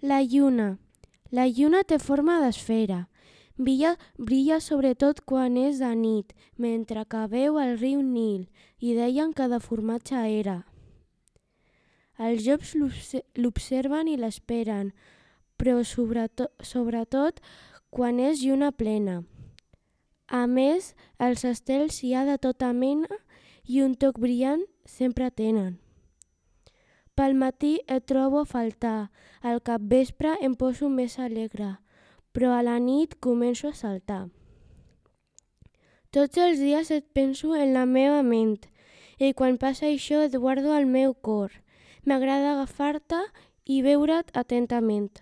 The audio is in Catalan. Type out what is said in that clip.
La lluna. La lluna té forma d'esfera. Brilla sobretot quan és de nit, mentre que veu el riu Nil, i deien que de formatge era. Els llops l'observen i l'esperen, però sobretot quan és lluna plena. A més, els estels hi ha de tota mena i un toc brillant sempre tenen. Pel matí et trobo a faltar, al capvespre em poso més alegre, però a la nit començo a saltar. Tots els dies et penso en la meva ment i quan passa això et guardo al meu cor. M'agrada agafar-te i veure't atentament.